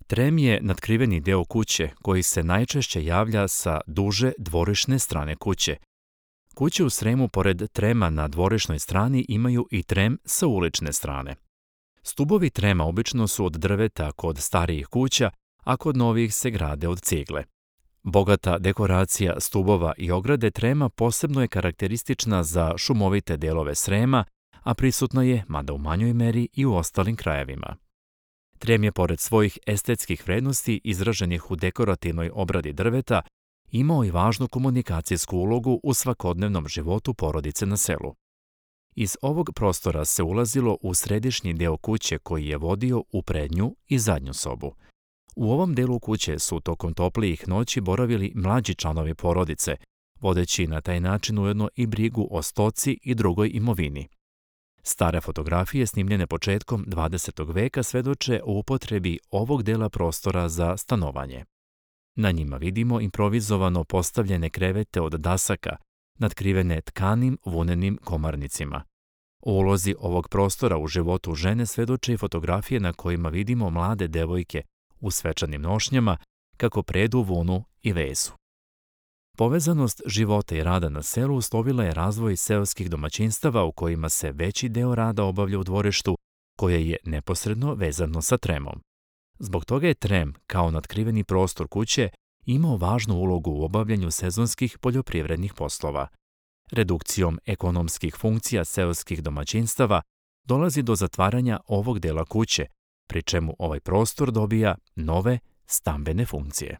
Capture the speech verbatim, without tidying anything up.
Trem je natkriveni deo kuće koji se najčešće javlja sa duže dvorišne strane kuće. Kuće u Sremu pored trema na dvorišnoj strani imaju i trem sa ulične strane. Stubovi trema obično su od drveta kod starijih kuća, a kod novih se grade od cigle. Bogata dekoracija stubova i ograde trema posebno je karakteristična za šumovite delove Srema, a prisutna je, mada u manjoj meri, i u ostalim krajevima. Trem je, pored svojih estetskih vrednosti izraženih u dekorativnoj obradi drveta, imao i važnu komunikacijsku ulogu u svakodnevnom životu porodice na selu. Iz ovog prostora se ulazilo u središnji deo kuće koji je vodio u prednju i zadnju sobu. U ovom delu kuće su tokom toplijih noći boravili mlađi članovi porodice, vodeći na taj način ujedno i brigu o stoci i drugoj imovini. Stare fotografije snimljene početkom dvadesetog veka svedoče o upotrebi ovog dela prostora za stanovanje. Na njima vidimo improvizovano postavljene krevete od dasaka, natkrivene tkanim vunenim komarnicima. O ulozi ovog prostora u životu žene svedoče i fotografije na kojima vidimo mlade devojke u svečanim nošnjama kako predu vunu i vezu. Povezanost života i rada na selu uslovila je razvoj seoskih domaćinstava u kojima se veći deo rada obavlja u dvorištu, koje je neposredno vezano sa tremom. Zbog toga je trem, kao natkriveni prostor kuće, imao važnu ulogu u obavljanju sezonskih poljoprivrednih poslova. Redukcijom ekonomskih funkcija seoskih domaćinstava dolazi do zatvaranja ovog dela kuće, pri čemu ovaj prostor dobija nove stambene funkcije.